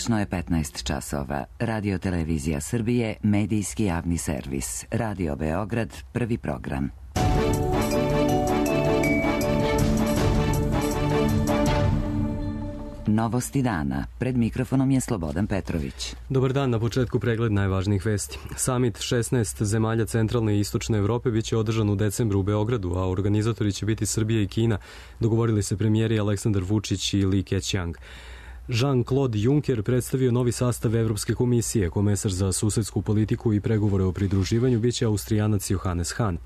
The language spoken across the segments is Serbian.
Tačno je 15 časova. Radio Televizija Srbije, medijski javni servis. Radio Beograd, prvi program. Novosti dana. Pred mikrofonom je Slobodan Petrović. Dobar dan, na početku pregled najvažnijih vesti. Samit 16 zemalja centralne i istočne Evrope biće održan u decembru u Beogradu, a organizatori će biti Srbija i Kina, dogovorili se premijeri Aleksandar Vučić i Li Keqiang. Jean-Claude Juncker predstavio novi sastav Evropske komisije. Komesar za susedsku politiku i pregovore o pridruživanju biće Austrijanac Johannes Hahn.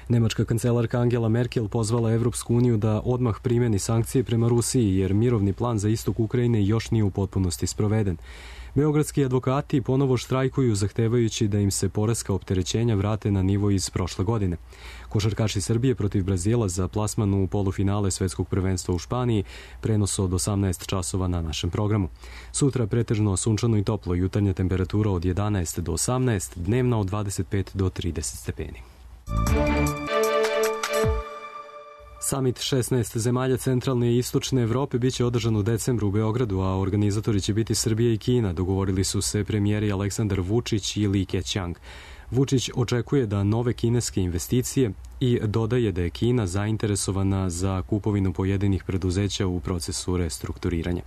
Nemačka kancelarka Angela Merkel pozvala Evropsku uniju da odmah primeni sankcije prema Rusiji, jer mirovni plan za istok Ukrajine još nije u potpunosti sproveden. Beogradski advokati ponovo štrajkuju zahtevajući da im se poreska opterećenja vrate na nivo iz prošle godine. Košarkaši Srbije protiv Brazila za plasman u polufinale svetskog prvenstva u Španiji, prenos od 18 časova na našem programu. Sutra pretežno sunčano i toplo, jutarnja temperatura od 11 do 18, dnevna od 25 do 30 stepeni. Samit 16 zemalja centralne i istočne Evrope biće održan u decembru u Beogradu, a organizatori će biti Srbija i Kina, dogovorili su se premijeri Aleksandar Vučić i Li Keqiang. Vučić očekuje da nove kineske investicije i dodaje da je Kina zainteresovana za kupovinu pojedinih preduzeća u procesu restrukturiranja.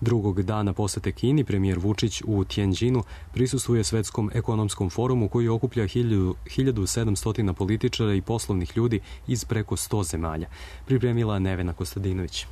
Drugog dana posete Kini premijer Vučić u Tianjinu prisustvuje Svetskom ekonomskom forumu koji okuplja 1700 političara i poslovnih ljudi iz preko 100 zemalja. Pripremila Nevena Kostadinović.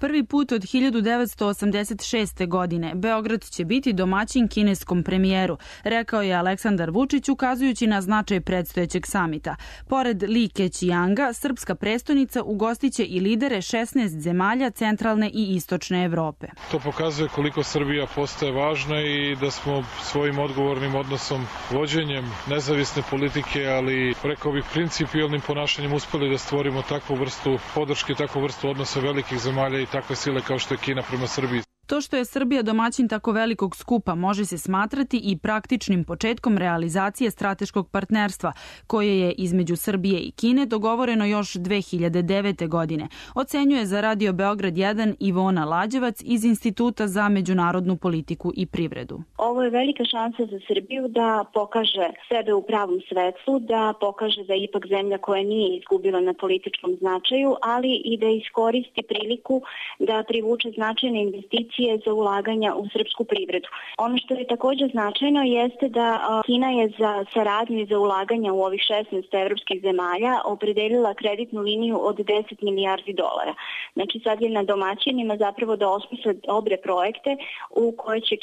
Prvi put od 1986. godine Beograd će biti domaćin kineskom premijeru, rekao je Aleksandar Vučić ukazujući na značaj predstojećeg samita. Pored Li Keqianga, srpska prestonica ugostiće i lidere 16 zemalja centralne i istočne Evrope. To pokazuje koliko Srbija postaje važna i da smo svojim odgovornim odnosom, vođenjem nezavisne politike, ali rekao bih principijelnim ponašanjem uspeli da stvorimo takvu vrstu podrške, takvu vrstu odnosa velikih zemalja i takve sile kao što je Kina prema Srbiji. To što je Srbija domaćin tako velikog skupa može se smatrati i praktičnim početkom realizacije strateškog partnerstva, koje je između Srbije i Kine dogovoreno još 2009. godine, ocenjuje za Radio Beograd 1 Ivona Lađevac iz Instituta za međunarodnu politiku i privredu. Ovo je velika šansa za Srbiju da pokaže sebe u pravom svetlu, da pokaže da je ipak zemlja koja nije izgubila na političkom značaju, ali i da iskoristi priliku da privuče značajne investicije za ulaganja u srpsku privredu. Ono što je također značajno jeste da Kina je za saradnju i za ulaganja u ovih 16 evropskih zemalja opredelila kreditnu liniju od 10 milijardi dolara. Znači sad je na domaćinima zapravo da osmisle dobre projekte u koje će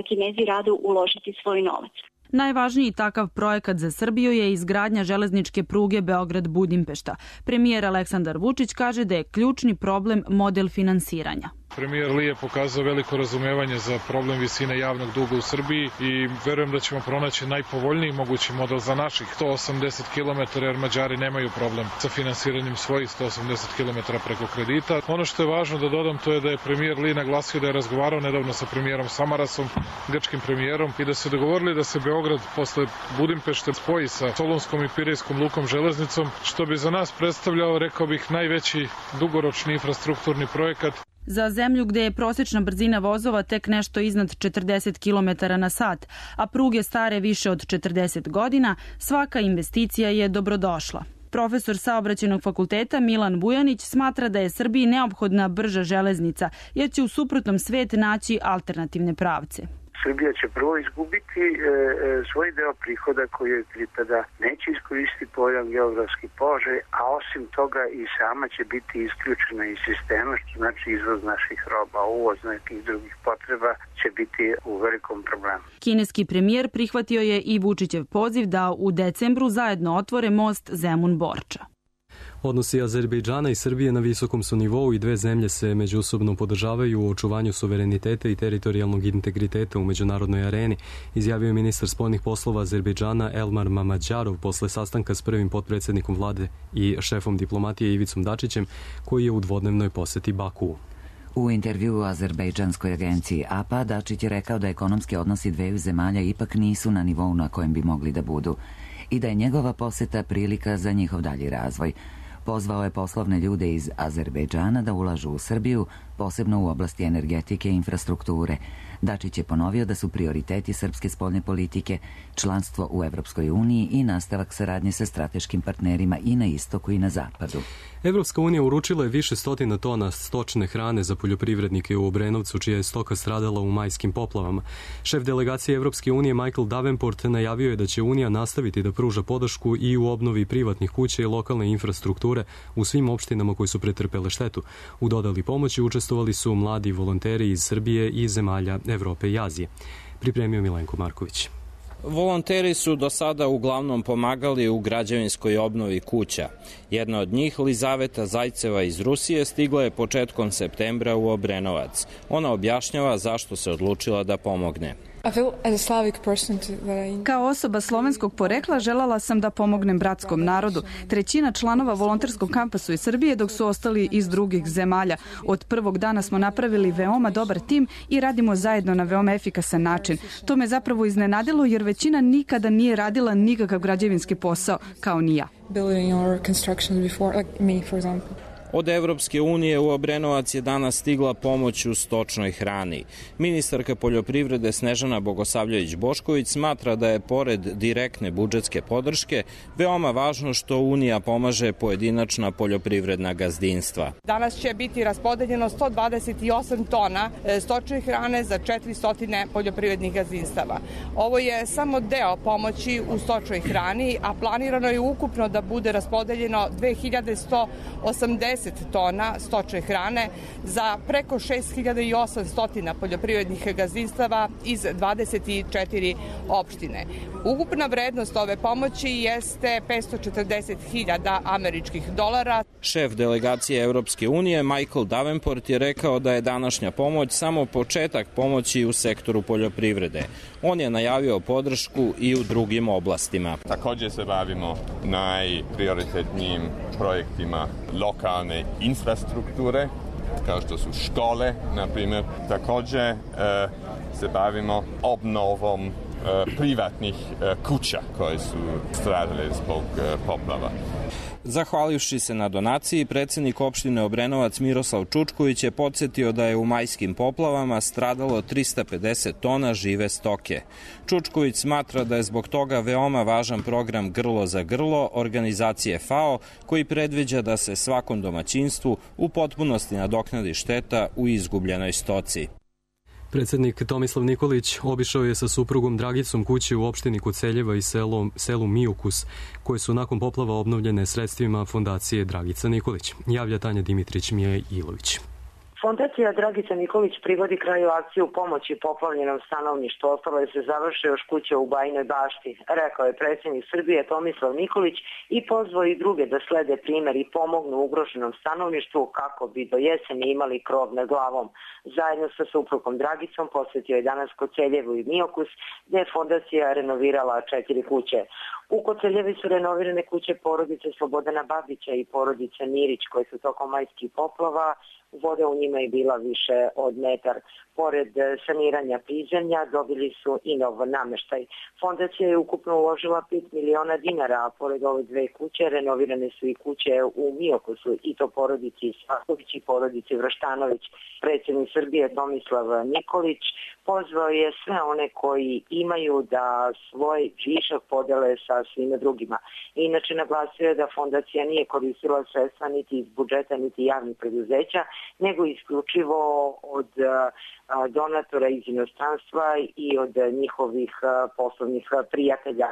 Kinezi rado uložiti svoj novac. Najvažniji takav projekat za Srbiju je izgradnja železničke pruge Beograd-Budimpešta. Premijer Aleksandar Vučić kaže da je ključni problem model finansiranja. Premijer Li je pokazao veliko razumevanje za problem visine javnog duga u Srbiji i verujem da ćemo pronaći najpovoljniji mogući model za naših 180 km, jer Mađari nemaju problem sa finansiranjem svojih 180 km preko kredita. Ono što je važno da dodam to je da je premijer Li naglasio da je razgovarao nedavno sa premijerom Samarasom, grčkim premijerom, i da su dogovorili da se Beograd posle Budimpešte spoji sa Solunskom i Pirejskom lukom železnicom, što bi za nas predstavljao, rekao bih, najveći dugoročni infrastrukturni projekat. Za zemlju gde je prosečna brzina vozova tek nešto iznad 40 km na sat, a pruge stare više od 40 godina, svaka investicija je dobrodošla. Profesor Saobraćajnog fakulteta Milan Bujanić smatra da je Srbiji neophodna brža železnica, jer će u suprotnom svet naći alternativne pravce. Srbija će prvo izgubiti svoj deo prihoda koji joj pripada, neće iskoristiti povoljan geografski položaj, a osim toga i sama će biti isključena iz sistema, što znači izvoz naših roba, uvoz nekih drugih potreba će biti u velikom problemu. Kineski premijer prihvatio je i Vučićev poziv da u decembru zajedno otvore most Zemun-Borča. Odnosi Azerbejdžana i Srbije na visokom su nivou i dve zemlje se međusobno podržavaju u očuvanju suvereniteta i teritorijalnog integriteta u međunarodnoj areni, izjavio je ministar spoljnih poslova Azerbejdžana Elmar Mamadžarov posle sastanka s prvim potpredsjednikom vlade i šefom diplomatije Ivicom Dačićem, koji je u dvodnevnoj poseti Bakuu. U intervjuu azerbejdžanskoj agenciji APA Dačić je rekao da ekonomski odnosi dveju zemalja ipak nisu na nivou na kojem bi mogli da budu i da je njegova poseta prilika za njihov dalji razvoj. Pozvao je poslovne ljude iz Azerbejdžana da ulažu u Srbiju, posebno u oblasti energetike i infrastrukture. Dačić je ponovio da su prioriteti srpske spoljne politike članstvo u Evropskoj uniji i nastavak saradnje sa strateškim partnerima i na istoku i na zapadu. Evropska unija uručila je više stotina tona stočne hrane za poljoprivrednike u Obrenovcu, čija je stoka stradala u majskim poplavama. Šef delegacije Evropske unije Michael Davenport najavio je da će Unija nastaviti da pruža podršku i u obnovi privatnih kuća i lokalne infrastrukture u svim opštinama koji su pretrpele štetu. U dodali pomoći učestvovali su mladi volonteri iz Srbije i zemalja Evrope i Azije. Pripremio Milenko Marković. Volonteri su do sada uglavnom pomagali u građevinskoj obnovi kuća. Jedna od njih, Lizaveta Zajceva iz Rusije, stigla je početkom septembra u Obrenovac. Ona objašnjava zašto se odlučila da pomogne. Kao osoba slovenskog porekla želala sam da pomognem bratskom narodu. Trećina članova volonterskog kampa su iz Srbije, dok su ostali iz drugih zemalja. Od prvog dana smo napravili veoma dobar tim i radimo zajedno na veoma efikasan način. To me zapravo iznenadilo jer većina nikada nije radila nikakav građevinski posao, kao ni ja. Od Evropske unije u Obrenovac je danas stigla pomoć u stočnoj hrani. Ministarka poljoprivrede Snežana Bogosavljević-Bošković smatra da je pored direktne budžetske podrške veoma važno što Unija pomaže pojedinačna poljoprivredna gazdinstva. Danas će biti raspodeljeno 128 tona stočne hrane za 400 poljoprivrednih gazdinstava. Ovo je samo deo pomoći u stočnoj hrani, a planirano je ukupno da bude raspodeljeno 2180 tona stočne hrane za preko 6800 poljoprivrednih gazdinstava iz 24 opštine. Ukupna vrednost ove pomoći jeste 540.000 američkih dolara. Šef delegacije Evropske unije Michael Davenport je rekao da je današnja pomoć samo početak pomoći u sektoru poljoprivrede. On je najavio podršku i u drugim oblastima. Također se bavimo najprioritetnijim projektima lokalne infrastrukture, kao što su škole, na primjer. Također se bavimo obnovom privatnih kuća koje su stradale zbog poplava. Zahvalivši se na donaciji, predsjednik opštine Obrenovac Miroslav Čučković je podsjetio da je u majskim poplavama stradalo 350 tona žive stoke. Čučković smatra da je zbog toga veoma važan program Grlo za grlo organizacije FAO, koji predviđa da se svakom domaćinstvu u potpunosti nadoknadi šteta u izgubljenoj stoci. Predsjednik Tomislav Nikolić obišao je sa suprugom Dragicom kuće u opštini Koceljeva i selu Mijukus, koje su nakon poplava obnovljene sredstvima fondacije Dragica Nikolić. Javlja Tanja Dimitrić, Mija Ilović. Fondacija Dragica Nikolić privodi kraju akciju pomoći poplavljenom stanovništvu. Ostalo je se završe još kuća u Bajinoj Bašti, rekao je predsjednik Srbije Tomislav Nikolić i pozvao i druge da slede primjer i pomognu ugroženom stanovništvu kako bi do jeseni imali krov nad glavom. Zajedno sa suprugom Dragicom posjetio je danas Koceljevu i Mijokus, gdje je fondacija renovirala 4 kuće. U Koceljevi su renovirane kuće porodice Slobodana Babića i porodice Mirić, koje su tokom majskih poplava, voda u njima je bila više od metar. Pored saniranja prizemlja dobili su i nov nameštaj. Fondacija je ukupno uložila 5 miliona dinara, a pored ove 2 kuće renovirane su i kuće u Mijokusu, i to porodici Svaković i porodici Vrštanović. Predsjednik Srbije Tomislav Nikolić pozvao je sve one koji imaju da svoj višak podele sa svima drugima. Inače naglasio je da fondacija nije koristila sredstva niti iz budžeta niti javnih preduzeća, nego isključivo od donatora iz inostranstva i od njihovih poslovnih prijatelja.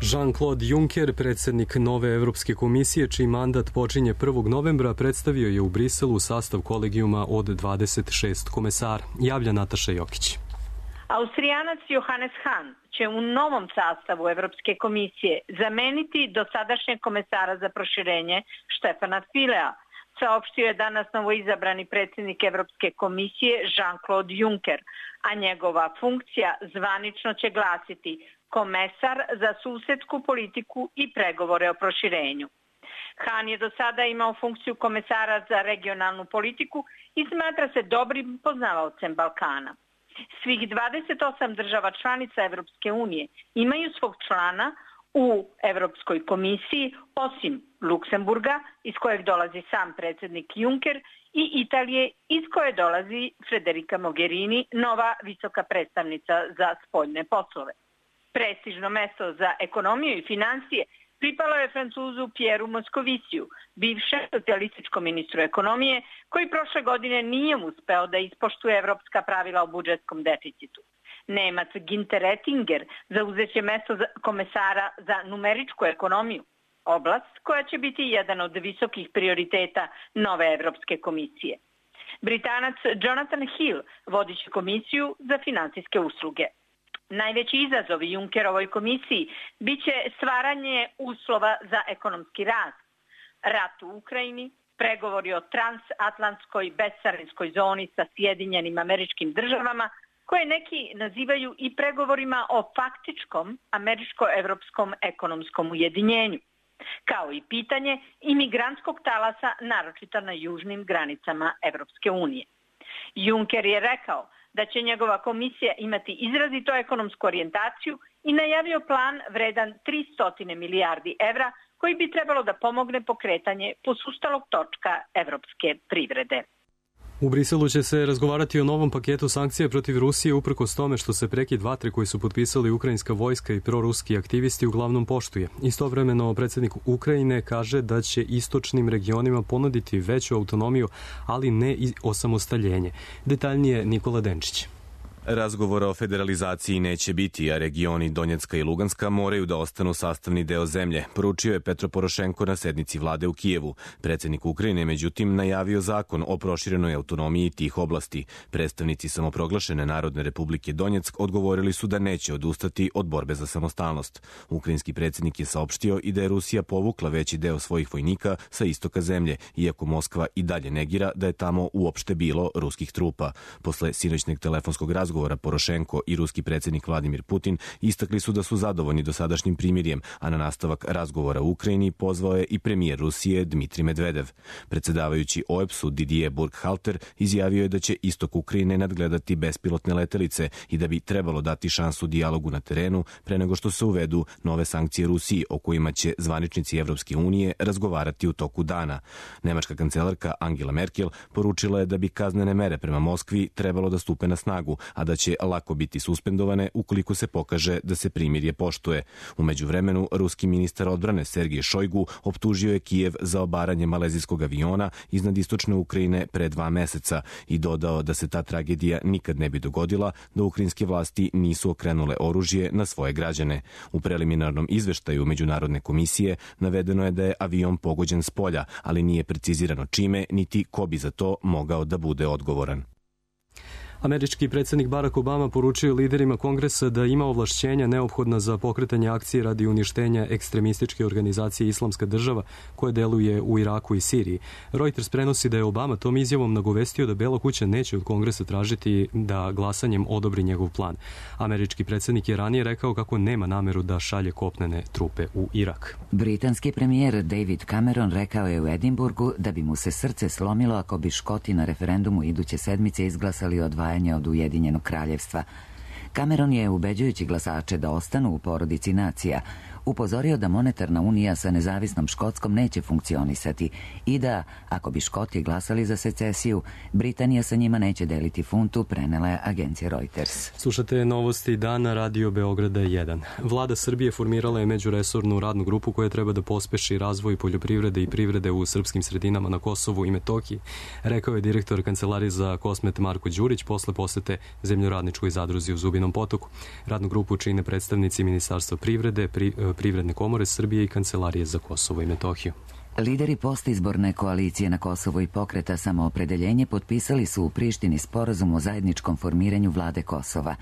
Jean-Claude Juncker, predsjednik nove Evropske komisije, čiji mandat počinje 1. novembra, predstavio je u Briselu sastav kolegijuma od 26 komesara. Javlja Nataša Jokić. Austrijanac Johannes Hahn će u novom sastavu Evropske komisije zameniti dosadašnjeg komesara za proširenje Štefana Filea, saopštio je danas novoizabrani predsjednik Evropske komisije Jean-Claude Juncker, a njegova funkcija zvanično će glasiti komesar za susedsku politiku i pregovore o proširenju. Hahn je do sada imao funkciju komesara za regionalnu politiku i smatra se dobrim poznavaocem Balkana. Svih 28 država članica Evropske unije imaju svog člana U Evropskoj komisiji, osim Luksemburga, iz kojeg dolazi sam predsednik Juncker, i Italije, iz koje dolazi Federica Mogherini, nova visoka predstavnica za spoljne poslove. Prestižno mesto za ekonomiju i financije pripalo je Francuzu Pieru Moskoviciju, bivšem socijalističkom ministru ekonomije, koji prošle godine nije uspeo da ispoštuje evropska pravila o budžetskom deficitu. Nemac Ginter Oettinger zauzeće mesto komesara za numeričku ekonomiju, oblast koja će biti jedan od visokih prioriteta nove Evropske komisije. Britanac Jonathan Hill vodiće komisiju za finansijske usluge. Najveći izazov Junckerovoj komisiji biće stvaranje uslova za ekonomski rast, rat u Ukrajini, pregovori o transatlantskoj bescarinskoj zoni sa Sjedinjenim Američkim Državama, koje neki nazivaju i pregovorima o faktičkom američko-evropskom ekonomskom ujedinjenju, kao i pitanje imigrantskog talasa, naročito na južnim granicama Evropske unije. Juncker je rekao da će njegova komisija imati izrazito ekonomsku orijentaciju i najavio plan vredan 300 milijardi evra koji bi trebalo da pomogne pokretanje posustalog točka evropske privrede. U Briselu će se razgovarati o novom paketu sankcija protiv Rusije uprkos tome što se prekid vatre koji su potpisali ukrajinska vojska i proruski aktivisti uglavnom poštuje. Istovremeno predsjednik Ukrajine kaže da će istočnim regionima ponuditi veću autonomiju, ali ne i osamostaljenje. Detaljnije Nikola Denčić. Razgovora o federalizaciji neće biti, a regioni Donjecka i Luganska moraju da ostanu sastavni deo zemlje, poručio je Petro Porošenko na sednici vlade u Kijevu. Predsjednik Ukrajine, međutim, najavio zakon o proširenoj autonomiji tih oblasti. Predstavnici samoproglašene Narodne republike Donjeck odgovorili su da neće odustati od borbe za samostalnost. Ukrajinski predsjednik je saopštio i da je Rusija povukla veći deo svojih vojnika sa istoka zemlje, iako Moskva i dalje negira da je tamo uopšte bilo ruskih trupa. Posle sinoćnog telefonskog razgovora Porošenko i ruski predsjednik Vladimir Putin istakli su da su zadovoljni dosadašnjim primirjem, a na nastavak razgovora u Ukrajini pozvao je i premijer Rusije Dmitrij Medvedev. Predsjedavajući OEBS-u Didier Burkhalter izjavio je da će istok Ukrajine nadgledati bespilotne letelice i da bi trebalo dati šansu dijalogu na terenu pre nego što se uvedu nove sankcije Rusiji o kojima će zvaničnici Evropske unije razgovarati u toku dana. Nemačka kancelarka Angela Merkel poručila je da bi kaznene mere prema Moskvi trebalo da stupe na snagu, a da će lako biti suspendovane ukoliko se pokaže da se primirje poštuje. U međuvremenu, ruski ministar odbrane Sergej Šojgu optužio je Kijev za obaranje malezijskog aviona iznad istočne Ukrajine pre 2 meseca i dodao da se ta tragedija nikad ne bi dogodila da ukrajinske vlasti nisu okrenule oružje na svoje građane. U preliminarnom izveštaju Međunarodne komisije navedeno je da je avion pogođen s polja, ali nije precizirano čime niti ko bi za to mogao da bude odgovoran. Američki predsjednik Barack Obama poručio liderima Kongresa da ima ovlašćenja neophodna za pokretanje akcije radi uništenja ekstremističke organizacije Islamska država koja deluje u Iraku i Siriji. Reuters prenosi da je Obama tom izjavom nagovestio da Bela kuća neće od Kongresa tražiti da glasanjem odobri njegov plan. Američki predsjednik je ranije rekao kako nema nameru da šalje kopnene trupe u Irak. Britanski premijer David Cameron rekao je u Edinburgu da bi mu se srce slomilo ako bi Škoti na referendumu iduće sedmice izglasali odvajanje od Ujedinjenog kraljevstva. Cameron je, ubeđujući glasače da ostanu u porodici nacija, upozorio da monetarna unija sa nezavisnom Škotskom neće funkcionisati i da, ako bi Škoti glasali za secesiju, Britanija sa njima neće deliti funtu, prenela je agencija Reuters. Slušate novosti dana Radio Beograda 1. Vlada Srbije formirala je međuresornu radnu grupu koja treba da pospeši razvoj poljoprivrede i privrede u srpskim sredinama na Kosovu i Metohiji, rekao je direktor Kancelarije za Kosmet Marko Đurić posle posete zemljoradničkoj zadruzi u Zubinom Potoku. Radnu grupu čine predstavnici Ministarstva privrede, Privredne komore Srbije i Kancelarije za Kosovo i Metohiju. Lideri postizborne koalicije na Kosovo i pokreta Samoopredeljenje potpisali su u Prištini sporazum o zajedničkom formiranju vlade Kosova.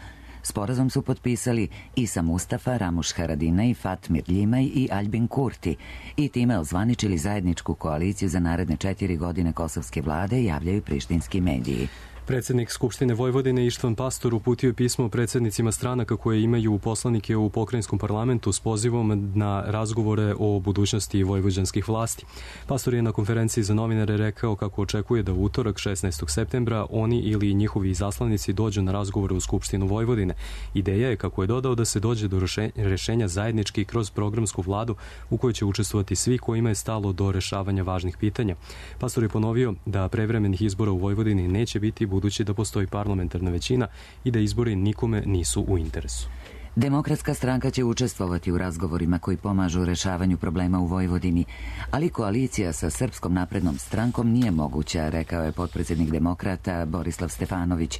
Sporazum su potpisali Isa Mustafa, Ramuš Haradinaj, Fatmir Ljimaj i Aljbin Kurti i time ozvaničili zajedničku koaliciju za naredne 4 godine kosovske vlade, javljaju prištinski mediji. Predsjednik Skupštine Vojvodine Ištvan Pastor uputio je pismo predsjednicima stranaka koje imaju poslanike u pokrajinskom parlamentu s pozivom na razgovore o budućnosti vojvođanskih vlasti. Pastor je na konferenciji za novinare rekao kako očekuje da u utorak 16. septembra oni ili njihovi izaslanici dođu na razgovore u Skupštinu Vojvodine. Ideja je, kako je dodao, da se dođe do rešenja zajednički kroz programsku vladu u kojoj će učestvovati svi kojima je stalo do rešavanja važnih pitanja. Pastor je ponovio da prevremenih izbora u Vojvodini neće biti, budući da postoji parlamentarna većina i da izbori nikome nisu u interesu. Demokratska stranka će učestvovati u razgovorima koji pomažu rešavanju problema u Vojvodini, ali koalicija sa Srpskom naprednom strankom nije moguća, rekao je potpredsjednik demokrata Borislav Stefanović.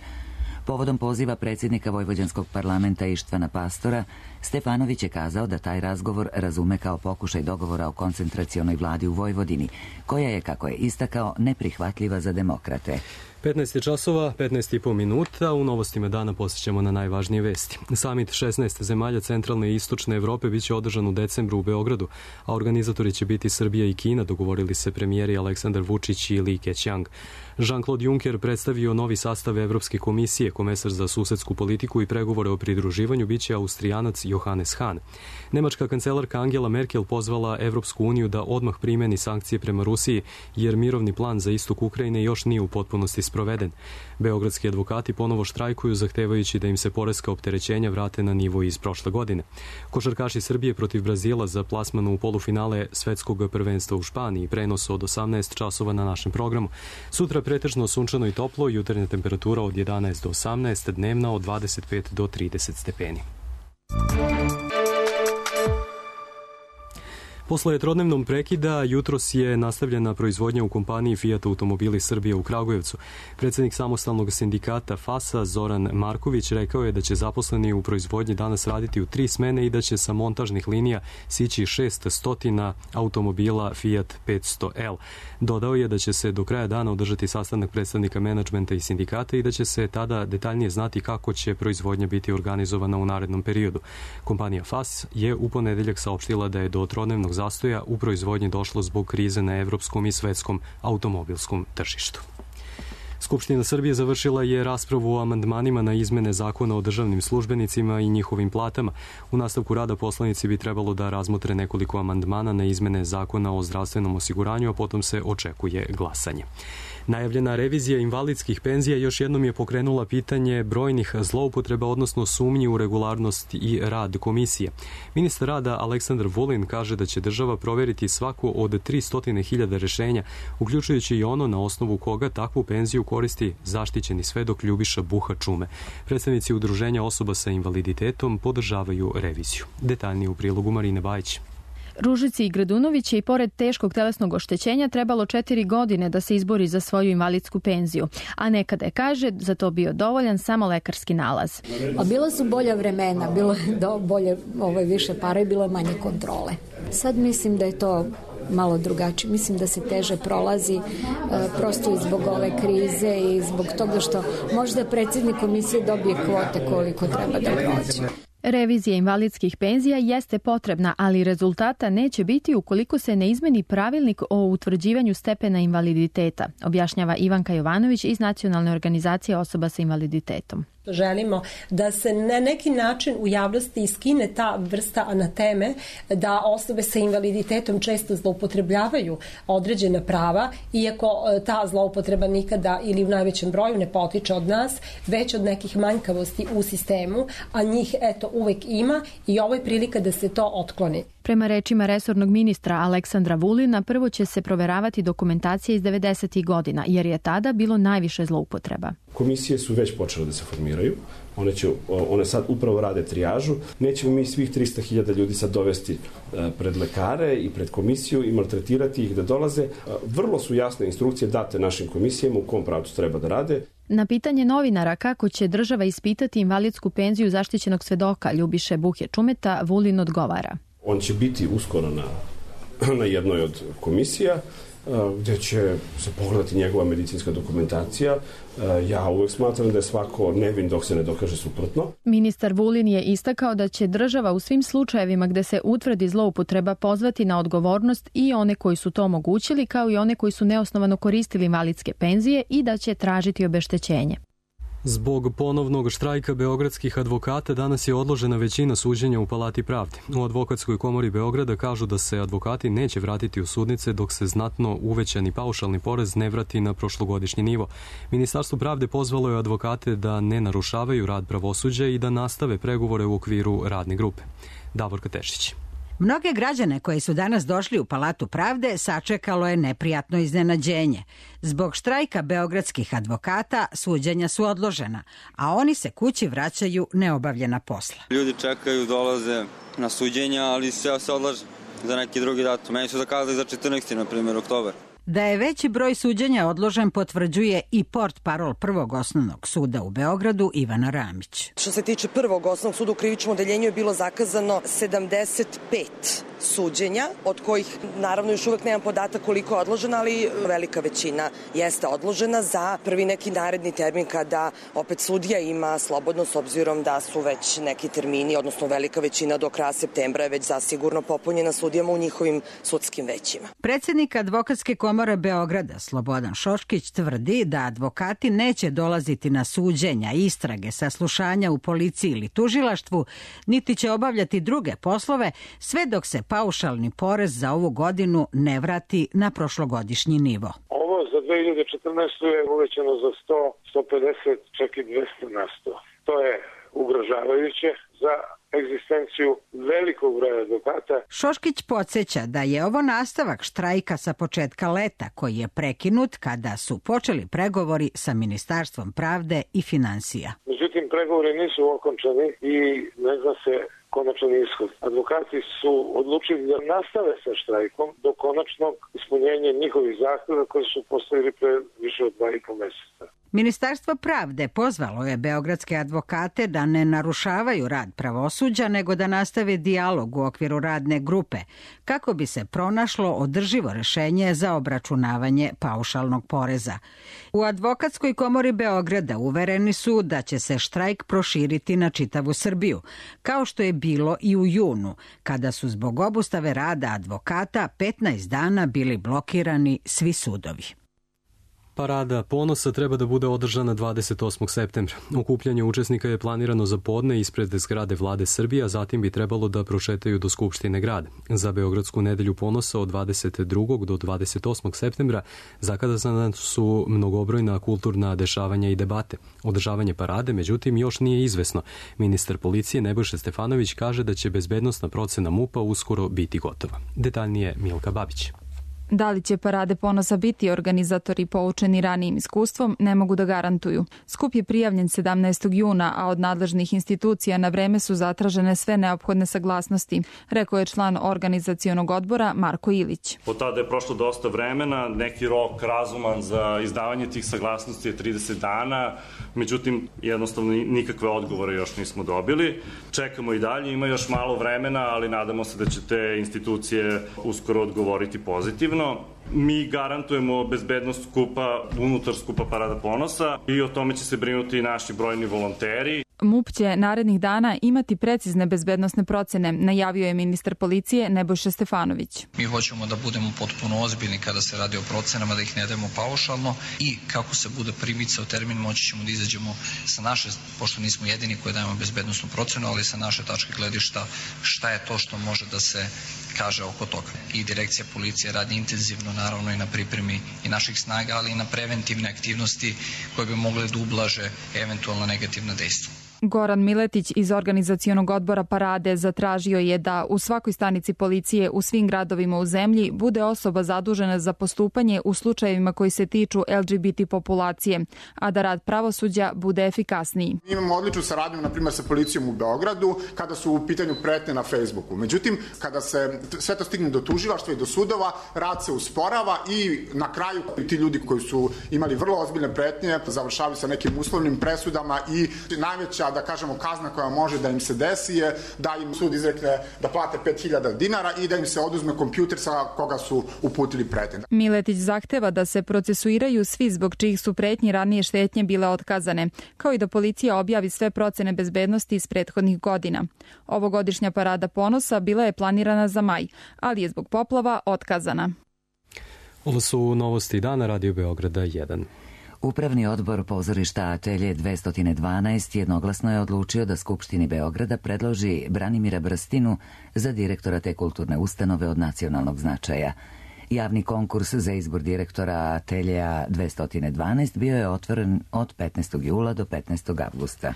Povodom poziva predsjednika Vojvođanskog parlamenta Ištvana Pastora, Stefanović je kazao da taj razgovor razume kao pokušaj dogovora o koncentracionoj vladi u Vojvodini, koja je, kako je istakao, neprihvatljiva za demokrate. 15 časova, 15,5 minuta. U novostima dana posjećamo na najvažnije vesti. Samit 16 zemalja centralne i istočne Evrope biće održan u decembru u Beogradu, a organizatori će biti Srbija i Kina, dogovorili se premijeri Aleksandar Vučić i Li Keqiang. Jean-Claude Juncker predstavio novi sastav Evropske komisije, komesar za susedsku politiku i pregovore o pridruživanju biće Austrijanac Johannes Hahn. Nemačka kancelarka Angela Merkel pozvala Evropsku uniju da odmah primeni sankcije prema Rusiji, jer mirovni plan za istok Ukrajine još nije u potpunosti sproveden. Beogradski advokati ponovo štrajkuju, zahtevajući da im se poreska opterećenja vrate na nivo iz prošle godine. Košarkaši Srbije protiv Brazila za plasman u polufinale svetskog prvenstva u Španiji, prenos od 18 časova na našem programu. Sutra pretežno sunčano i toplo, jutarnja temperatura od 11 do 18, dnevna od 25 do 30 stepeni. Posle trodnevnom prekida, jutros je nastavljena proizvodnja u kompaniji Fiat Automobili Srbije u Kragujevcu. Predsjednik samostalnog sindikata FAS-a Zoran Marković rekao je da će zaposleni u proizvodnji danas raditi u 3 smene i da će sa montažnih linija sići 600 automobila Fiat 500L. Dodao je da će se do kraja dana održati sastanak predstavnika menadžmenta i sindikata i da će se tada detaljnije znati kako će proizvodnja biti organizovana u narednom periodu. Kompanija FAS je u ponedeljak saopštila da je do trodnevnog zastoja u proizvodnji došlo zbog krize na evropskom i svetskom automobilskom tržištu. Skupština Srbije završila je raspravu o amandmanima na izmene zakona o državnim službenicima i njihovim platama. U nastavku rada poslanici bi trebalo da razmotre nekoliko amandmana na izmene zakona o zdravstvenom osiguranju, a potom se očekuje glasanje. Najavljena revizija invalidskih penzija još jednom je pokrenula pitanje brojnih zloupotreba, odnosno sumnji u regularnost i rad komisije. Ministar rada Aleksandar Vulin kaže da će država proveriti svako od 300.000 rešenja, uključujući i ono na osnovu koga takvu penziju koristi zaštićeni svedok Ljubiša Buha Čume. Predstavnici udruženja osoba sa invaliditetom podržavaju reviziju. Detaljnije u prilogu Marine Bajić. Ružici Gradunović je i pored teškog telesnog oštećenja trebalo 4 godine da se izbori za svoju invalidsku penziju, a nekada je, kaže, za to bio dovoljan samo lekarski nalaz. Bila su bolja vremena, bilo je bolje, više para i bilo manje kontrole. Sad mislim da je to malo drugačije. Mislim da se teže prolazi prosto i zbog ove krize i zbog toga što možda predsjednik komisije dobije kvote koliko treba da prođe. Revizija invalidskih penzija jeste potrebna, ali rezultata neće biti ukoliko se ne izmeni pravilnik o utvrđivanju stepena invaliditeta, objašnjava Ivanka Jovanović iz Nacionalne organizacije osoba sa invaliditetom. Želimo da se na neki način u javnosti iskine ta vrsta anateme da osobe sa invaliditetom često zloupotrebljavaju određena prava, iako ta zloupotreba nikada ili u najvećem broju ne potiče od nas, već od nekih manjkavosti u sistemu, a njih uvek ima i ovo je prilika da se to otkloni. Prema rečima resornog ministra Aleksandra Vulina, prvo će se proveravati dokumentacija iz 90. godina, jer je tada bilo najviše zloupotreba. Komisije su već počele da se formiraju, one sad upravo rade trijažu. Nećemo mi svih 300.000 ljudi sad dovesti pred lekare i pred komisiju i maltretirati ih da dolaze. Vrlo su jasne instrukcije date našim komisijama u kom pravcu treba da rade. Na pitanje novinara kako će država ispitati invalidsku penziju zaštićenog svedoka Ljubiše Buhe Čumeta, Vulin odgovara. On će biti uskoro na jednoj od komisija gde će se pogledati njegova medicinska dokumentacija. Ja uvek smatram da je svako nevin dok se ne dokaže suprotno. Ministar Vulin je istakao da će država u svim slučajevima gde se utvrdi zloupotreba pozvati na odgovornost i one koji su to omogućili, kao i one koji su neosnovano koristili invalidske penzije, i da će tražiti obeštećenje. Zbog ponovnog štrajka beogradskih advokata danas je odložena većina suđenja u Palati pravde. U Advokatskoj komori Beograda kažu da se advokati neće vratiti u sudnice dok se znatno uvećani paušalni porez ne vrati na prošlogodišnji nivo. Ministarstvo pravde pozvalo je advokate da ne narušavaju rad pravosuđa i da nastave pregovore u okviru radne grupe. Davorka Tešić. Mnoge građane koji su danas došli u Palatu pravde sačekalo je neprijatno iznenađenje. Zbog štrajka beogradskih advokata suđenja su odložena, a oni se kući vraćaju neobavljena posla. Ljudi čekaju, dolaze na suđenja, ali sve se odlaže za neki drugi datum. Meni su zakazali za 14. na primjer, oktobar. Da je veći broj suđenja odložen potvrđuje i portparol Prvog osnovnog suda u Beogradu Ivana Ramić. Što se tiče Prvog osnovnog suda u krivičnom odeljenju je bilo zakazano 75 suđenja, od kojih naravno još uvek nemam podatak koliko je odložena, ali velika većina jeste odložena za prvi neki naredni termin kada opet sudija ima slobodno, s obzirom da su već neki termini, odnosno velika većina do kraja septembra je već zasigurno popunjena sudijama u njihovim sudskim većima. Predsednik Advokatske komore Beograda Slobodan Šoškić tvrdi da advokati neće dolaziti na suđenja, istrage, saslušanja u policiji ili tužilaštvu, niti će obavljati druge poslove, sve dok se paušalni porez za ovu godinu ne vrati na prošlogodišnji nivo. Ovo za 2014. je uvećano za 100, 150, čak i 200 na 100. To je ugrožavajuće za egzistenciju velikog broja advokata. Šoškić podsjeća da je ovo nastavak štrajka sa početka leta, koji je prekinut kada su počeli pregovori sa Ministarstvom pravde i finansija. Međutim, pregovori nisu okončani i ne zna se konačan ishod. Advokati su odlučili da nastave sa štrajkom do konačnog ispunjenja njihovih zahteva koji su postavili pre više od 2,5 meseca. Ministarstvo pravde pozvalo je beogradske advokate da ne narušavaju rad pravosuđa, nego da nastave dijalog u okviru radne grupe, kako bi se pronašlo održivo rešenje za obračunavanje paušalnog poreza. U Advokatskoj komori Beograda uvereni su da će se štrajk proširiti na čitavu Srbiju, kao što je bilo i u junu, kada su zbog obustave rada advokata 15 dana bili blokirani svi sudovi. Parada ponosa treba da bude održana 28. septembra. Okupljanje učesnika je planirano za podne ispred zgrade Vlade Srbije, a zatim bi trebalo da prošetaju do Skupštine grada. Za Beogradsku nedelju ponosa od 22. do 28. septembra zakazana su mnogobrojna kulturna dešavanja i debate. Održavanje parade, međutim, još nije izvesno. Ministar policije Nebojša Stefanović kaže da će bezbednosna procena MUP-a uskoro biti gotova. Detaljnije Milka Babić. Da li će parade ponosa biti organizatori poučeni ranijim iskustvom, ne mogu da garantuju. Skup je prijavljen 17. juna, a od nadležnih institucija na vreme su zatražene sve neophodne saglasnosti, rekao je član organizacionog odbora Marko Ilić. Od tada je prošlo dosta vremena, neki rok razuman za izdavanje tih saglasnosti je 30 dana, međutim jednostavno nikakve odgovore još nismo dobili. Čekamo i dalje, ima još malo vremena, ali nadamo se da će te institucije uskoro odgovoriti pozitivno. Mi garantujemo bezbednost skupa, unutar skupa Parada ponosa i o tome će se brinuti i naši brojni volonteri. MUP će narednih dana imati precizne bezbednosne procene, najavio je ministar policije Nebojša Stefanović. Mi hoćemo da budemo potpuno ozbiljni kada se radi o procenama, da ih ne dajemo paušalno i kako se bude primicao termin moći ćemo da izađemo sa naše, pošto nismo jedini koji dajemo bezbednosnu procenu, ali sa naše tačke gledišta šta je to što može da se kaže oko toga. I direkcija policije radi intenzivno naravno i na pripremi i naših snaga, ali i na preventivne aktivnosti koje bi mogle da ublaže eventualno negativna dejstva. Goran Miletić iz organizacionog odbora Parade zatražio je da u svakoj stanici policije u svim gradovima u zemlji bude osoba zadužena za postupanje u slučajevima koji se tiču LGBT populacije, a da rad pravosuđa bude efikasniji. Imamo odličnu saradnju, na primjer, sa policijom u Beogradu kada su u pitanju pretnje na Facebooku. Međutim, kada se sve to stigne do tužilaštva i do sudova, rad se usporava i na kraju ti ljudi koji su imali vrlo ozbiljne pretnje završavaju sa nekim uslovnim presudama i najveća da kažemo, kazna koja može da im se desi je da im sud izrekne da plate 5.000 dinara i da im se oduzme kompjuter sa koga su uputili pretnje. Miletić zahteva da se procesuiraju svi zbog čijih su pretnji ranije štetnje bile otkazane, kao i da policija objavi sve procene bezbednosti iz prethodnih godina. Ovogodišnja parada ponosa bila je planirana za maj, ali je zbog poplava otkazana. Ovo su novosti dana Radio Beograda 1. Upravni odbor pozorišta Atelje 212 jednoglasno je odlučio da Skupštini Beograda predloži Branimira Brstinu za direktora te kulturne ustanove od nacionalnog značaja. Javni konkurs za izbor direktora Atelja 212 bio je otvoren od 15. jula do 15. avgusta.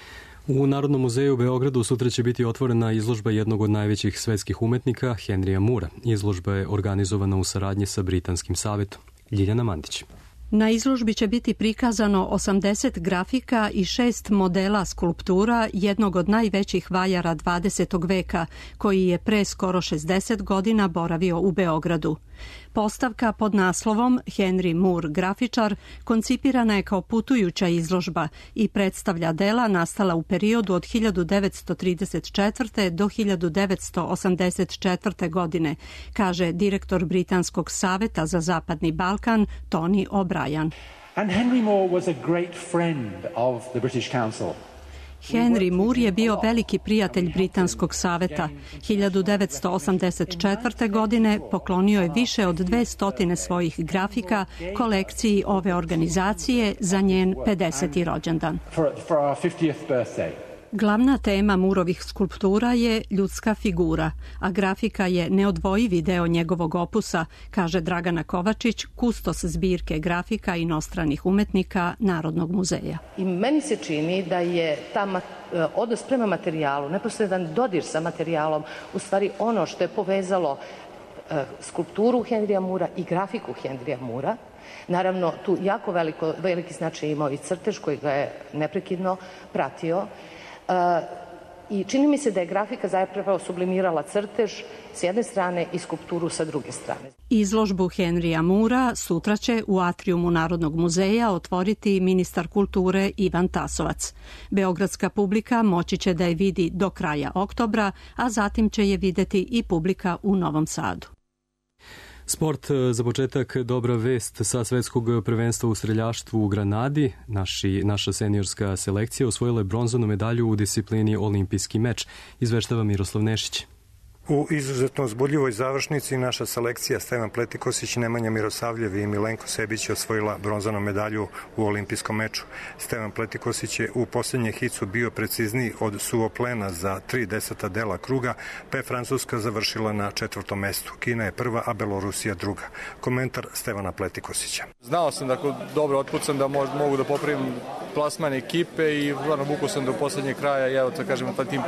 U Narodnom muzeju u Beogradu sutra će biti otvorena izložba jednog od najvećih svetskih umetnika, Henrya Moora. Izložba je organizovana u saradnji sa Britanskim savetom. Ljiljana Mandić. Na izložbi će biti prikazano 80 grafika i 6 modela skulptura jednog od najvećih vajara 20. veka, koji je pre skoro 60 godina boravio u Beogradu. Postavka pod naslovom Henry Moore grafičar koncipirana je kao putujuća izložba i predstavlja dela nastala u periodu od 1934. do 1984. godine, kaže direktor Britanskog saveta za Zapadni Balkan Tony O'Brien. And Henry Moore was a great friend of the British Council. Henry Moore je bio veliki prijatelj Britanskog saveta. 1984. godine poklonio je više od 200 svojih grafika kolekciji ove organizacije za njen 50. rođendan. Glavna tema Moorovih skulptura je ljudska figura, a grafika je neodvojivi deo njegovog opusa, kaže Dragana Kovačić, kustos zbirke grafika inostranih umetnika Narodnog muzeja. I meni se čini da je ta odnos prema materijalu, neposredan dodir sa materijalom, u stvari ono što je povezalo skulpturu Henrya Moora i grafiku Henrya Moora. Naravno, tu jako veliki značaj imao i crtež koji ga je neprekidno pratio. I čini mi se da je grafika zapravo sublimirala crtež s jedne strane i skulpturu sa druge strane. Izložbu Henrya Moora sutra će u atrijumu Narodnog muzeja otvoriti ministar kulture Ivan Tasovac. Beogradska publika moći će da je vidi do kraja oktobra, a zatim će je videti i publika u Novom Sadu. Sport, za početak dobra vest sa svetskog prvenstva u streljaštvu u Granadi. Naša seniorska selekcija osvojila je bronzanu medalju u disciplini olimpijski meč, izveštava Miroslav Nešić. U izuzetno uzbudljivoj završnici naša selekcija Stevan Pletikosić, Nemanja Mirosavljev i Milenko Sebić je osvojila bronzanu medalju u olimpijskom meču. Stevan Pletikosić je u posljednje hicu bio precizniji od suvoplena za 3/10 dela kruga, pa je Francuska završila na 4. mestu. Kina je prva, a Belorusija druga. Komentar Stevana Pletikosića. Znao sam da ako dobro otpucam da mogu da popravim plasman ekipe i vukao sam do posljednjeg kraja i evo to kažem, pa tim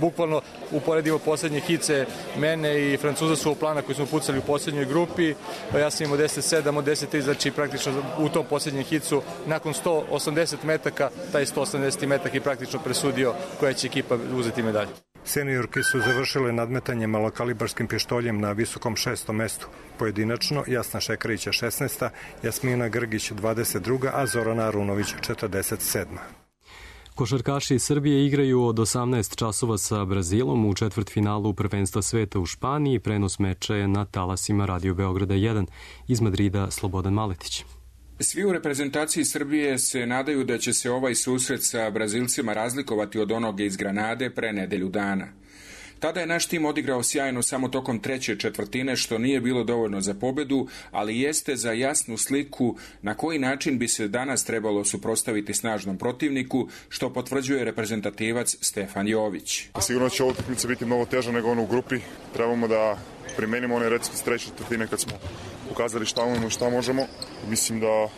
bukvalno uporedimo posljednje hice mene i Francuza su plana koji smo pucali u posljednjoj grupi, ja sam imao 10-7 od 10-3, znači praktično u tom posljednjem hicu nakon 180 metaka, taj 180 metak je praktično presudio koja će ekipa uzeti medalju. Seniorke su završile nadmetanje malokalibarskim pištoljem na visokom 6. mestu. Pojedinačno Jasna Šekarića 16. Jasmina Grgić 22. a Zorana Arunović 47. Košarkaši Srbije igraju od 18 časova sa Brazilom u četvrtfinalu prvenstva sveta u Španiji. Prenos meča je na talasima Radio Beograda 1. Iz Madrida Slobodan Maletić. Svi u reprezentaciji Srbije se nadaju da će se ovaj susret sa Brazilcima razlikovati od onoga iz Granade pre nedelju dana. Tada je naš tim odigrao sjajno samo tokom treće četvrtine, što nije bilo dovoljno za pobedu, ali jeste za jasnu sliku na koji način bi se danas trebalo suprotstaviti snažnom protivniku, što potvrđuje reprezentativac Stefan Jović. Sigurno će ova utakmica biti mnogo teža nego ono u grupi. Trebamo da primenimo one recept s treće četvrtine kad smo pokazali šta umemo i šta možemo. Mislim da je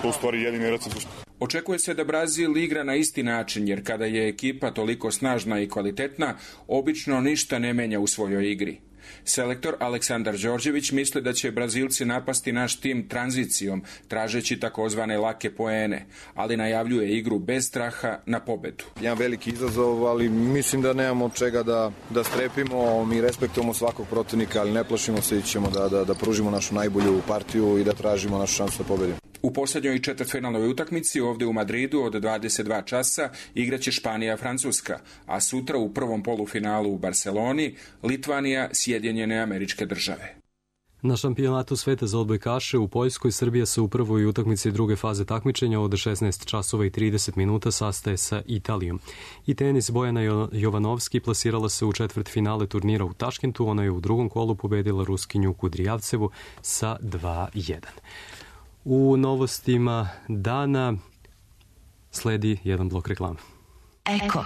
to u stvari jedini recept uspeha. Očekuje se da Brazil igra na isti način, jer kada je ekipa toliko snažna i kvalitetna, obično ništa ne menja u svojoj igri. Selektor Aleksandar Đorđević misli da će Brazilci napasti naš tim tranzicijom, tražeći takozvane lake poene, ali najavljuje igru bez straha na pobedu. Jedan veliki izazov, ali mislim da nemamo od čega da strepimo. Mi respektujemo svakog protivnika, ali ne plašimo se i ćemo da pružimo našu najbolju partiju i da tražimo našu šansu da pobedimo. U posljednjoj četvrtfinalnoj utakmici ovdje u Madridu od 22 časa igraće Španija-Francuska, a sutra u prvom polufinalu u Barceloni Litvanija, Sjedinjene Američke Države. Na šampionatu sveta za odbojkaše u Poljskoj Srbija se u prvoj utakmici druge faze takmičenja od 16 časova i 30 minuta sastaje sa Italijom. I tenis Bojana Jovanovski plasirala se u četvrtfinale turnira u Taškentu. Ona je u drugom kolu pobedila Ruskinju Kudrijavcevu sa 2:1. U novostima dana sledi jedan blok reklama. Eko.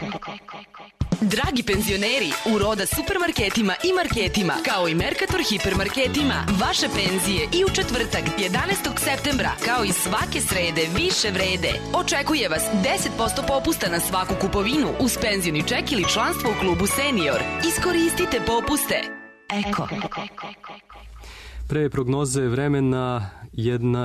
Dragi penzioneri, u Roda supermarketima i marketima, kao i Mercator hipermarketima, vaše penzije i u četvrtak 11. septembra, kao i svake srede, više vrede. Očekuje vas 10% popusta na svaku kupovinu uz penzioni ček ili članstvo u klubu Senior. Iskoristite popuste. Eko. Pre prognoze vremena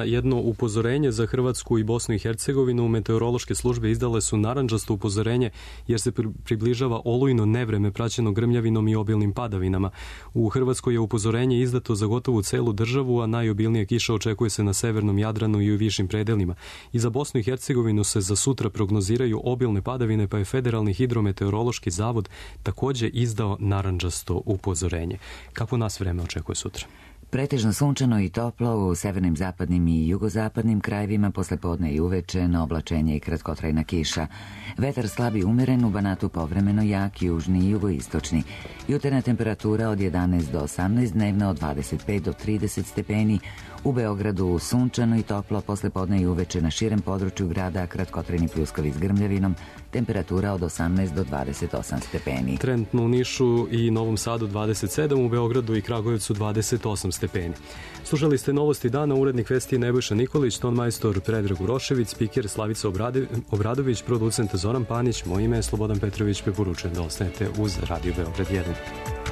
jedno upozorenje za Hrvatsku i Bosnu i Hercegovinu. Meteorološke službe izdale su narandžasto upozorenje jer se približava olujno nevreme praćeno grmljavinom i obilnim padavinama. U Hrvatskoj je upozorenje izdato za gotovu celu državu, a najobilnija kiša očekuje se na severnom Jadranu i u višim predelima. I za Bosnu i Hercegovinu se za sutra prognoziraju obilne padavine, pa je Federalni hidrometeorološki zavod također izdao narandžasto upozorenje. Kako nas vreme očekuje sutra? Pretežno sunčano i toplo u severnim, zapadnim i jugozapadnim krajevima, posle podne i uveče na oblačenje i kratkotrajna kiša. Vetar slab i umeren, u Banatu povremeno jak, južni i jugoistočni. Jutarnja temperatura od 11 do 18, dnevna od 25 do 30 stepeni. U Beogradu sunčano i toplo, posle podne i uveče na širem području grada, kratkotrajni pljuskovi s grmljavinom, temperatura od 18 do 28 stepeni. Trenutno u Nišu i Novom Sadu 27, u Beogradu i Kragujevcu 28 stepeni. Slušali ste novosti dana, urednik vesti Nebojša Nikolić, ton majstor Predrag Urošević, spiker Slavica Obradović, producent Zoran Panić, moje ime je Slobodan Petrović, preporučujem da ostanete uz Radio Beograd 1.